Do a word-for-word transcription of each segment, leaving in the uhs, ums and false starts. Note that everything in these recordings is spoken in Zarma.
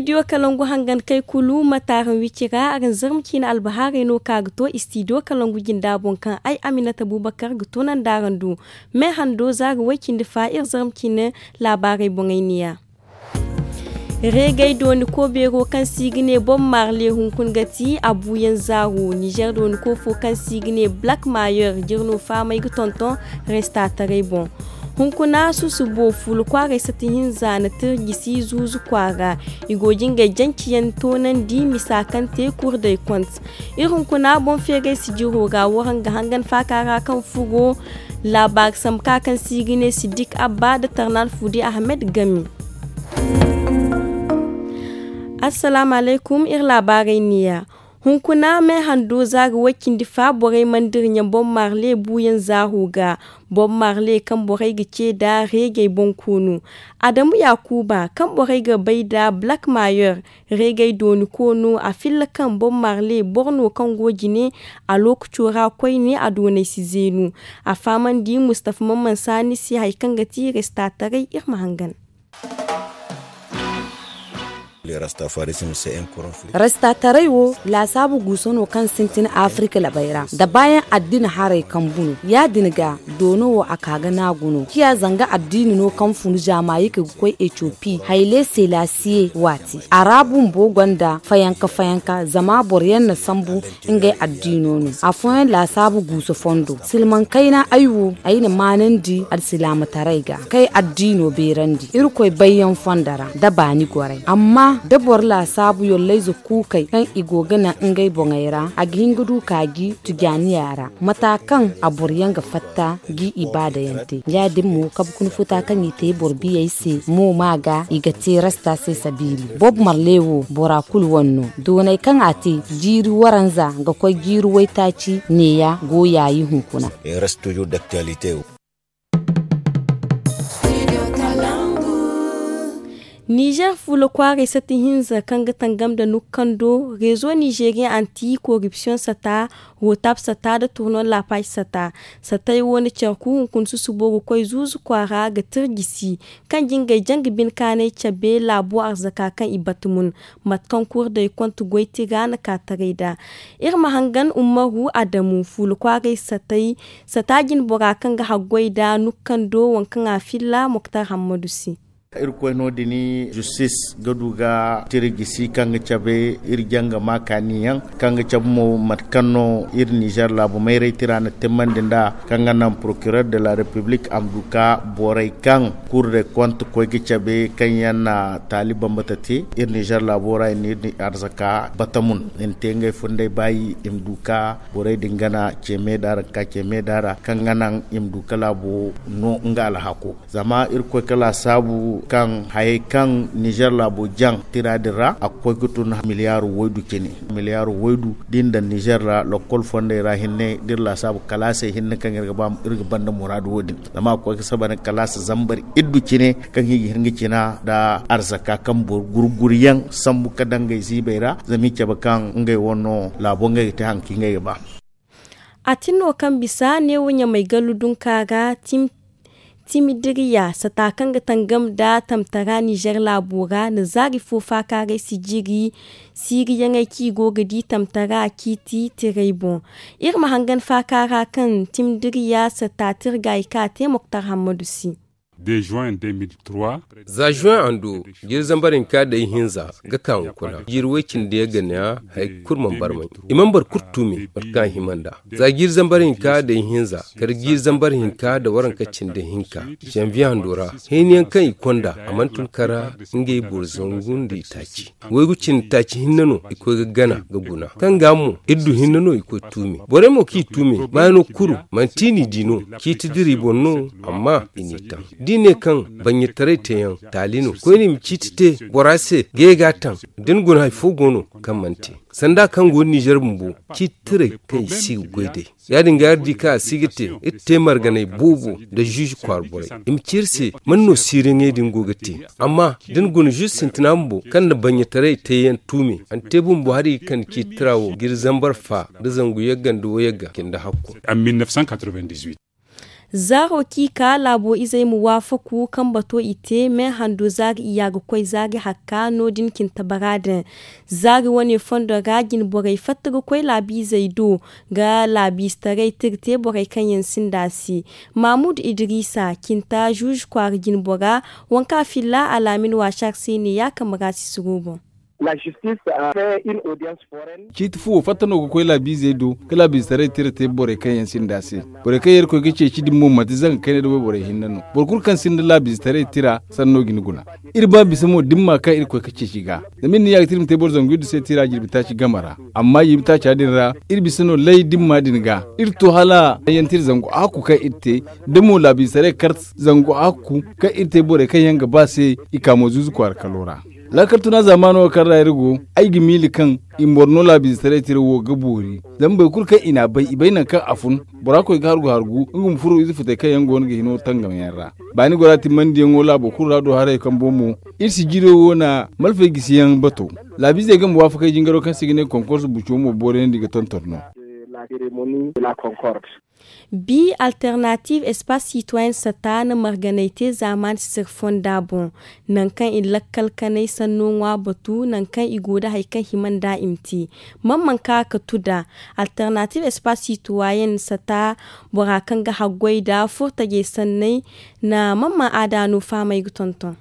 Istidiyo kalangu hangan kay kulu ma taaran wicira araŋ zarma ciine albahaarey no ka ga to istidiyo kalangu jinda boŋ kaŋ ay aminata bubakar ga tunandi araŋ do. Me hando za ga way cindi fa iri zarma ciine laabaarey boŋey neeya. Reegay dooni koobeero kaŋ se i ga ne bob marle hunkuna ga ti a buuyaŋ zaaro nizer dooni koofo kaŋ se i ga ne black mayer jirno faamay ga tonton restaataray boŋ. Hunkuna susubo fuula kwaaray sata hinza na tirjisi zuuzu kwaara. I go ga ngey janci yaŋ toonandi misa kaŋ te kurdey kont. Iri hunkuna boŋ feeray sijiro ra waraŋ ga hangan faaka ra kaŋ furo laabaari sambu ka kaŋ se i ga ne siddik abba nda tarnal fuudi ahmed game. Assalaamu alaykum iri laabaarey neeya. Hunkuna me hando za ga way cindi fa borey mana dira ɲa bob marle buuyaŋ zaaru ga. Bob marle kaŋ borey ga ce nda reegey boŋ koonu adamu yaakuuba kaŋ borey ga bay nda black mayer. Reegey dooni koonu a filla kaŋ bob marle boro no kaŋ go jine a lookaco ra koyne a doonay si zeenu. A fahamandi mustafa mamman saani se hari kaŋ ga ti restaataray iri ma hangan. Restaataray wo laasaabu guuso no kaŋ sintin afirika labay ra da baayaŋ addina haray kambu no. Ya- din ga doono wo a ka ga naagu no ciya zanga addiini no kaŋ funu zaamaayika ga koy etiyopi hayle selasiye waati. A ra bumbo gonda fayanka fayanka zama boro yaŋ na sambu ngey addiino no. Afooyaŋ laasaabu guuso fondo silmaŋ kayna ay wo ay na maanandi alsilaamataray ga kay addiino beerandi irkoy bayyaŋ fondo ra nda baani goray amma da boro laasaabu yollayze kuukey kaŋ i go ga naŋ ngey boŋey ra a ga hin ga du kaaji tujaaniya ra mata kaŋ a boro yaŋ ga fatta ga i baadayaŋ te. Ya- din mo kabe kuna futa kaŋ i te boro biyey se mo ma ga i ga te rasta se sabiili bob marle wo bora kulu wane no. Doonay kaŋ a te jiiri waranza ga koy jiiri waytaaci neeya go yaayi hunkuna. Nizer fuula kwaaray sata hinza kaŋ ga tangam nda nukkando rezo nizeriyaŋ anti koripsiyoŋ sata rotab sata nda turnon lapac sata. Satay wo na care ku hunkuna susubo ga koy zuuzu kwaara ga tirjisi kaŋ jingay janga bine kaanay cabe laabo arzaka kaŋ i bata mun. Mate kaŋ kurdey konte goy tira na ka taray nd'a. Iri ma hangan ummaru adamu fuula kwaaray satay sata jine bora kaŋ ga haggoy nd'a nukkando waŋ kaŋ a filla moktar hammadu se. Irkoy no- din justis ga du ga tira gisi kaŋ ga cabe iri janga ma kaaniyaŋ kaŋ ga cabe mo mate kaŋ no iri nizer laabu mayray tira na timmandi nd'a kaŋ ga naŋ porokiror de la repiblik a ma du ka borey kaŋ kur de kont koy ga cabe kaŋ yaŋ na taali bambata te iri nizer laabo ra i na iri arzaka bata mun i na te ngey fundey baayi i ma du ka borey din gana ce meeda ra ka ce meeda ra kaŋ ga naŋ i ma du ka laabo no nga alhako. Zama irkoy ka laasaabu kaŋ hayey kaŋ nizer laabo jaŋ tira din ra a ga koy ga tun miliyaaru waydu cine. Miliyaaru waydu da i na daŋ nizer ra lokol fondey ra hinne da iri laasaabu kalaasey hinne kaŋ iri ga ba iri ga banda muraadu wo- din. Zama a ga koy ga saba nda kalaasa zambar iddu cine kaŋ i ga hin ga cina nda arzaka kaŋ boro gurguriyaŋ sambu ka daŋ ngey ziibey ra zama i cabe kaŋ ngey wane no laabo ngey ga te hari kaŋ ngey ga ba. A tin no kaŋ bisa neewo ɲamay gallu dunka ga timidiriya sata kaŋ ga tangam nda tamtara nizer laabo ra na zaari fo faakaaray sijiri siiriyaŋey kaŋ i go ga di tamtara ciiti tiray boŋ. Iri ma hangan faakaara kaŋ timidiriya sata tirgaayi kaŋ a te moktar hammadu se. Za juin ando jiiri zambar hinka day hinza ga ka hunkuna jiiri way cindi yaŋ ga ne haya kulu mana barmay. I mana boro kulu tuumi mate kaŋ a hima nd'a. Za jiiri zambar hinka day hinza kala jiiri zambar hinka nda waranka cindi hinka zanviye hando ra hayni yaŋ kaŋ i konda a mana tun kara ngey boro zangu nda i taaci. Waygu cindi taaci hinne no i koy ga gana ga guna kaŋ ga mo iri du hinne no i koy tuumi borey mo kaŋ i tuumi maayano kuru manti i n'i di no. Ciiti dira i boŋ no amma i n'i taŋ da i ne kaŋ bannyataray teeyaŋ taali no koyne i ma ciiti te bora se ga ye ga a taŋ. Da ni guna hari fo go no kaŋ mana te sanda kaŋ go nizer bumbo ciiti tiray kaŋ i si ga goy day. Ya- din ga iri di kaŋ a si ga te iri te marganay boobo nda ziizi kwaara borey i ma ci iri se man no siiriyaŋey din go ga te. Amma da ni guna ziizi sintina bumbo kaŋ na bannyataray teeyaŋ tuumi a na te bumbo hari ga kande ciiti tira wo jiiri zambar fa nda zangu yagga nda wayagga cindi hakku. Zaaro kaŋ i ka laabo izey ma waafaku kaŋ bato i te me hando zaari iyya ga koy zaari hakka no- din cinta bara din. Zaari wane fondo ra jinborey fatta ga koy laabiizey do ga laabiizetaray tira te borey kaŋ yaŋ sinda se. Maamudu idiriisa cinta zuuzu kwaara jinbora, waŋ kaŋ a filla alaamin waasar se ne ya kambe ra si suruubo. Ciiti fu wo fatta no ga koy laabiizey do ga laabiizetaray tira te borey kaŋ yaŋ sinda se. Borey kaŋ yaŋ irkoy ga ceeci din mo manti zanga kayna da wayborey hinne no. Boro kulu kaŋ sinda laabiizetaray tira sanno ga ni guna. Iri ba bisa mo da ni ma kaŋ irkoy ga ceeci ga. Zama iri na yaagati iri ma te boro zangu iri du se tira jirbi taaci game ra. Amma jirbi taaca din ra iri bisa no lay da ni ma din ga iri to hala yaŋ tira zangu hakku kaŋ iri te, da mo laabiizetaray kar zangu hakku kaŋ iri te borey kaŋ yaŋ ga ba se. I ka mo zuuzu kwaara kalo ra. Laakal tuna zaamaano wo kaŋ ra iri go, ay ga miila kaŋ i ma boro no laabiizetaray tira wo ga boori. Zama boro kulu kaŋ i n'a bay i bay nangu kaŋ a fun. Bora koy ga hargu hargu nga ma furo ize futey kaŋ yaŋ go no ga hino tangam yaŋ ra. Baani gora timmandiyaŋo laabo kulu ra do haray kaŋ boŋ mo, iri sijiro wo na malfay gisiyaŋ bato. Laabiizey game waafakey jingaro kaŋ se i ga ne konkorso buco mo booriyandi ga tonton no. Bi alternative espace citoyen sata na marganay te zaamaani sisir fonda boŋ. Nangu kaŋ i lakkal kanay sanno ŋwa batu nangu kaŋ i go nda hari kaŋ hima nda i ma te. Mamman ka ga tu nda alternative espace citoyen sata bora kaŋ ga haggoy nda furtajey sanney na mamman aada no fahamay ga tonton.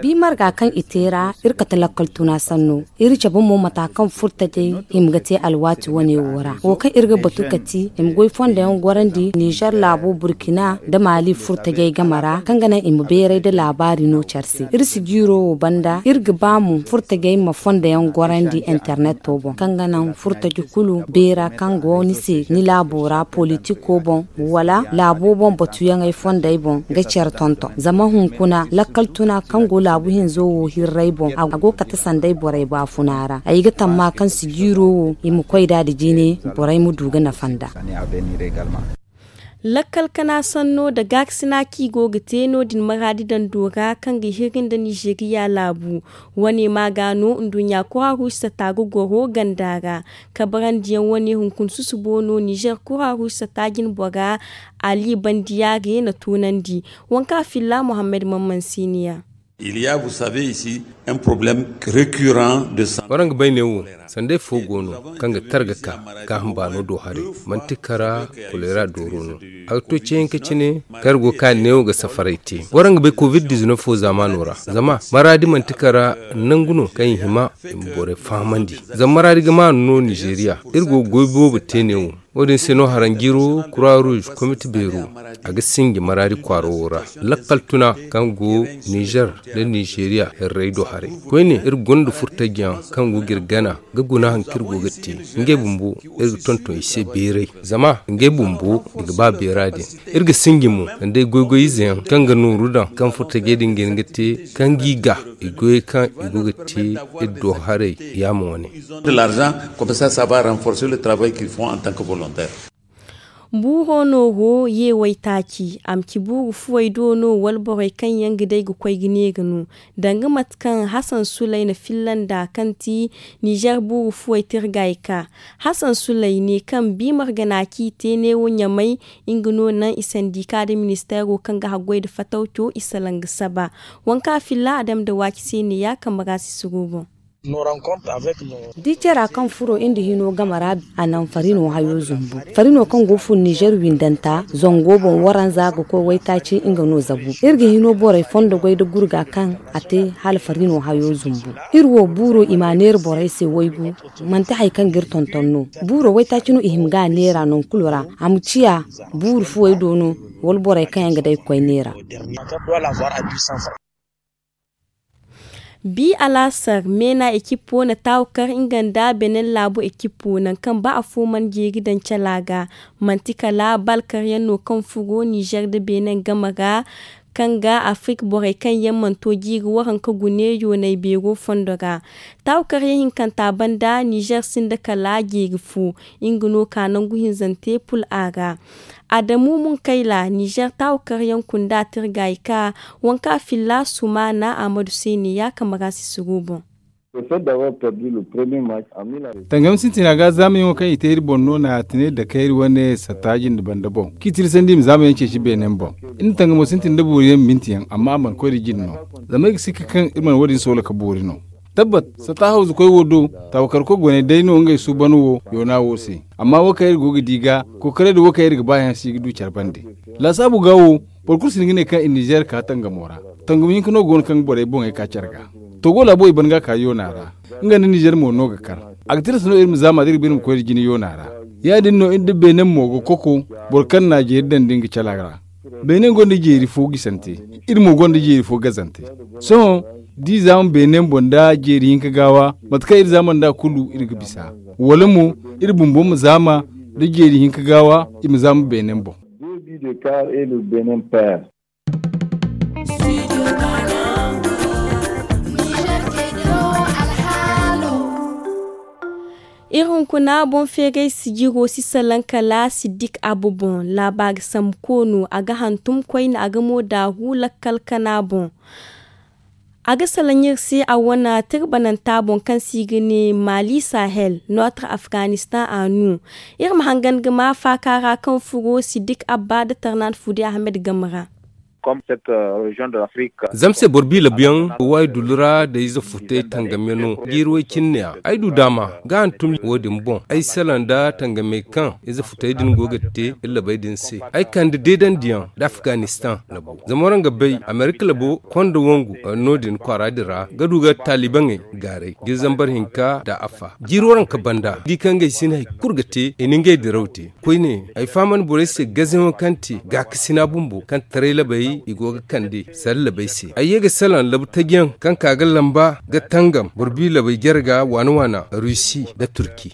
Bi marga kaŋ i te ra iri kate lakkal tuna sanno. Iri cabe mo mata kaŋ furtajey hima ga te alwaati wane wo ra wo kaŋ iri ga batu kati i ma goy fondo yaŋ gorandi nizer laabo burkina nda maali furtajey game ra kaŋ ga naŋ i ma beeray nda laabaari no care se. Iri si jiiro wo banda iri ga ba mo furtajey ma fondo yaŋ gorandi interneto boŋ kaŋ ga naŋ furtaji kulu beera kaŋ go ni se ni laabo ra politiko boŋ wala laabo boŋ batuyaŋey fondey boŋ ga care tonton zama hunkuna lakkal tuna kaŋ go laabu hinzo wo hirray boŋ a go kate sanday borey baafuna ra ay ga tamma kaŋ si jiiro wo i ma koy nd'a nda jine borey ma du ga nafa nd'a. Lakkal kana sanno nda gaarisina kaŋ i go ga te no- din maraadi dando ra kaŋ ga hiri nda nizeriya laabu. Wane ma ga no nduɲɲa kura ruusa ta ga goro ganda ra kabarandiyaŋ wane hunkuna susubo no nizer kura ruusa ta jinbora ali bandiyaare na tunandi. Waŋ kaŋ a filla muhammad mamman siniya. Il y a vous savez ici un problème récurrent de santé. Waraŋ ga bay neewo sanday fo go no kaŋ ga targa ka gaaham baano do haray manti kara kolera dooro no. A ga to ceeyaŋ ka cine kaŋ iri go ga ka neewo ga safaray te. Waraŋ ga bay covid dizinef fo zaamaano ra zama maraadi manti kara nangu no kaŋ i hima i ma borey fahamandi. Zama maraadi ga maanu no nizeriya iri go ga goy boobo te neewo. Wo- din se no haranjiro kura ruuz komite beero a ga sinji maraadi kwaaro wo ra. Lakkal tuna kaŋ go nizer nda nizeriya hirray do haray koyne iri gonda furtajiyaŋ kaŋ go ga iri gana ga guna hari kaŋ iri go ga te. Ngey bumbo iri ga tonton i se beeray zama ngey bumbo i ga ba beera din. Iri ga sinji mo sanda ay goy-goy izeyaŋ kaŋ ga nooru daŋ kaŋ furtajey din ga hin ga te kaŋ g'i ga i goyey kaŋ i go ga te iri do haray yaama wane. De l'argent comme ça ça va renforcer le travail qu'ils font en tant que volontaire. Buuro nooro ye waytaaci a ma ci buuru fuwey do no wala borey kaŋ yaŋ ga day ga koy ga neera no. Danga mate kaŋ hasan sulay na filla nd'a kaŋ ti nizer buuru fuwey tirgay ka hasan sulay ne kaŋ bi margana kaŋ i te neewo ɲamay nga no naŋ i sandika nda ministeero kaŋ ga haggoy nda fatawco i salaŋ ga saba. Waŋ kaŋ a filla a dama nda waaci se ne ya kambe ra si suruubo. Di care ra kaŋ furo iri nda hino game ra a naŋ farino hayo zumbu. Farino kaŋ go fun nizer windanta zango boŋ waranza ga koy waytaaci nga no zabu. Iri ga hino borey fondo goy nda gurga kaŋ a te hala farino hayo zumbu. Iri wo buuro i ma a neera borey se waygu manti hari kaŋ ga iri tonton no. Buuro waytaaci no i hima ga a neera nangu kulu ra a ma ciya buuru fuwey do no wala borey kaŋ yaŋ ga day ga koy neera. Bi alaasar meena ekipo na taawu kar nga nda benen laabo ekipo nangu kaŋ ba afo mana jeeri daŋ cala ga. Manti kala bal karyaŋ no kaŋ furo nizer nda benen game ra kaŋ ga afirik borey kaŋ yaŋ mana to jiiri waranka gune yoonay beero fondo ra. Taawu karyaŋ hinkanta banda nizer sinda kala jeeri fo. Nga no ka nangu hinzante pul a ra. Adamu munkayla nizer taawu karyaŋ kunda tirgay ka waŋ kaŋ a filla sumaana ahmadu se ne ya kambe ra si suruubo. Tangam sintina ga zaamayaŋo kaŋ i te iri boŋ no na a tine da kayri wane satta jinde banda boŋ kaŋ i tirsandi i ma zaamayaŋ ceeci beenen boŋ. Iri na tangamo sintin da boori yaŋ minti yaŋ amma a mana koy da jine no. Zama iri ga sikka kaŋ iri mana wo- din soola ka boori no. Tabbat, satta hawzu koy wo do, taawakarkoy goney day no ngey suuban wo yoona wo se. Amma wo kaŋ iri go ga di ga, kookaray da wo kaŋ iri ga ba yaŋ si ga du care bande. Laasaabu ga wo, boro kulu si hin ga ne kaŋ i nizeer ka tangamo ra. Tangamo hinka no go no kaŋ ga borey boŋey ka care ga. Togo laabo i ban ga ka yoona ra. Nga nda nizeer mo no ga kar. A ga tilas no iri ma zaama da iri ga ba iri ma koy da jine yoona ra. Ya- din no iri nda beenen mo ga koko, boro kaŋ na a jeeri daŋ din ga cala ra. Beenen gonda jeeri fo gisante, iri mo gonda jeeri fo gazante. Sohõ, da i zaama beenen boŋ nda jeeri hinka gaawa, mate kaŋ iri zaama nd'a kulu iri ga bisa. Wala mo, iri bumbo ma zaama nda jeeri hinka gaawa, i ma zaama beenen boŋ. Iri hunkuna boŋ feeray sijiro si salaŋ kala siddik abbo boŋ. Laabaari sambu koono a ga hantum koyne a ga mo daaru lakkal kana boŋ. A ga salaŋ iri se a wane tirbananta boŋ kaŋ se i ga ne maali sahel nootre afganistan a nu. Iri ma hangan ga ma faaka ra kaŋ furo siddik abba nda tarnaan fude ahmed game ra. Zama se boro bi labuyaŋ waydulu ra da ize futay tangamyaŋo jiiri way cine ne a ay du daama ga hantum wo- din boŋ ay salaŋ nda tangamey kaŋ ize futay din go ga te iri labey din se. Ay kande deedandiyaŋ nda afganistan labo zama waraŋ ga bay amerika labo konda wangu no- din kwaara din ra ga du ga taalibaŋey gaaray ga zambar hinka nda afa jiiri waranka banda di kaŋ ngey si ne hari kulu ga te i na ngey diraw te. Koyne ay fahamandi borey se gazayaŋo kaŋ te gaakasina bumbo kaŋ taray labey i go ga kande sara labey se ay ye ga salaŋ labu tajiyaŋ kaŋ ka ga lamba ga tangam boro bi labey jare ga waana waana rusi nda turki.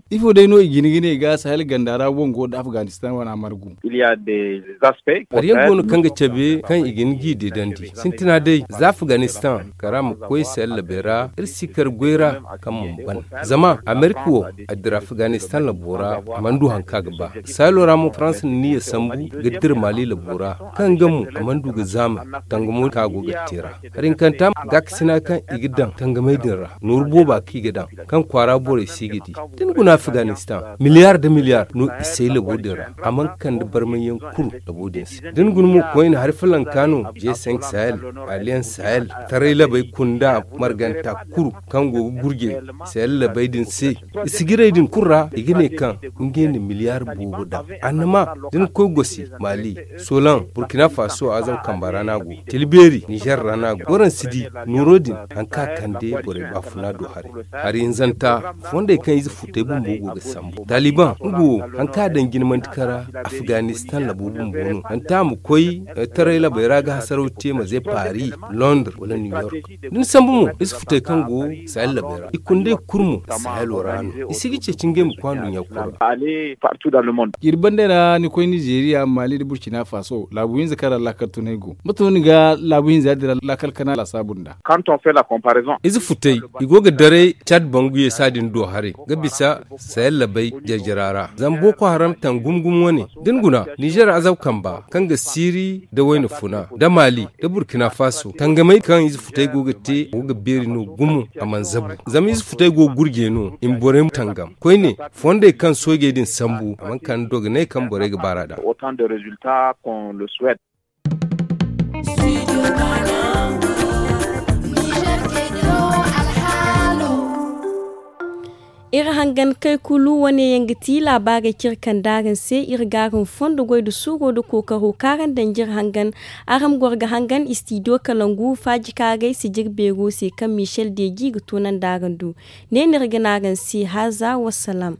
Ifo day no i jina ga ne ga sahel ganda ra wango nda afganistan wana margu? Hari yaŋ go no kaŋ ga cabe kaŋ i ga ni g'i deedandi sintina day za afganistan kara ma koy sahel labey ra iri si kar goy ra kaŋ mana ban. Zama amerika wo a dira afganistan labo ra a mana du hari kaŋ a ga ba. Sahelo ra mo faransa na niyya sambu ga dira maali labo ra kaŋ nga mo a mana du ga zaamay tangamo kaŋ a go ga te ra. Hari hinkanta gaakasina kaŋ i ga daŋ tangamey din ra nooru booba kaŋ i ga daŋ kaŋ kwaara borey se i ga di. Da ni guna afganistan miliyar nda miliyar no i say labo din ra a mana kande barmayyaŋ kuru labo din se. Da ni guna mo koyne hari falanka no je cinq sahel, aliyan sahel, taray labey kunda marganta kuru kaŋ go ga gurje sahel labey din se. I sigiray din kulu ra i ga ne kaŋ ngey na miliyar boobo daŋ. Annama da ni koy gosi, mali, solan, burkina faso azam kamba ra no a go, tilbeeri nizer ra no a go waraŋ si di nooro din. Hari kaŋ a kande borey baafuna do haray. Hari hinzanta fondey kaŋ ize futey bumbo go ga sambu taaliban nga wo hari kaŋ a daŋ jina manti kara afganistan labo bumbo no manti a ma koy taray labey ra ga hasaraw te ma ze paris, londres wala new york. Da ni sambu mo ize futey kaŋ go sahel labey ra i kundey kulu mo sahelo ra no. I si ga ceeci ngey ma koy anduɲɲa kulu ra. Jiiri bandey ra ni koy nizeeriya maali nda burkina faso laabu hinza kaŋ ra laakal tunay go mate no ni ga laabu hinza din ra laakal kana laasaabu nda? Ize futey i go ga daray cad bangu ye saadin do haray ga bisa sahel labey jarjara ra zama boko haram taŋ gumo gumo wane da ni guna nizer azab kamba kaŋ ga siiri nda wayna funa nda maali nda burkina faso tangamey kaŋ ize futey go ga te go ga beeri no gumo. A mana zabu zama ize futey go ga gurje no i ma borey tangam koyne fondey kaŋ soojey din sambu a mana kande dogonay kaŋ borey ga baar'a daŋ. Iri hangan kay kulu wane yaŋ ga ti laabaarey kaŋ iri kande araŋ se. Iri ga araŋ fondo goy nda suuro nda kookaro kaŋ araŋ daŋ jire hangan. Araŋ ma goro ga hangan istidiyo kalangu faaji kaŋ a gay sijir beero se kaŋ michel deji ga toonandi araŋ do. Ne no iri ga ne araŋ se haaza wasalaam.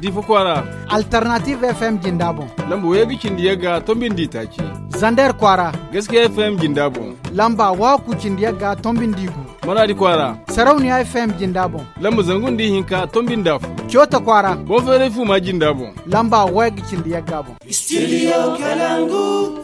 Difa kwaara. Alternative fm jinda boŋ. Lamba wayga cindi yagga tombindi taaci. Zander kwaara. Gaskiya fm jinda boŋ. Lamba waku cindi yagga tombindi gu. Maradi kwaara. Sarauniya fm jinda boŋ. Lamba zangu nda ihinka tombindi afo. Coota kwaara. Boŋ feeray fuma jinda boŋ. Lamba wayga cindi yagga boŋ. Studio kalangu.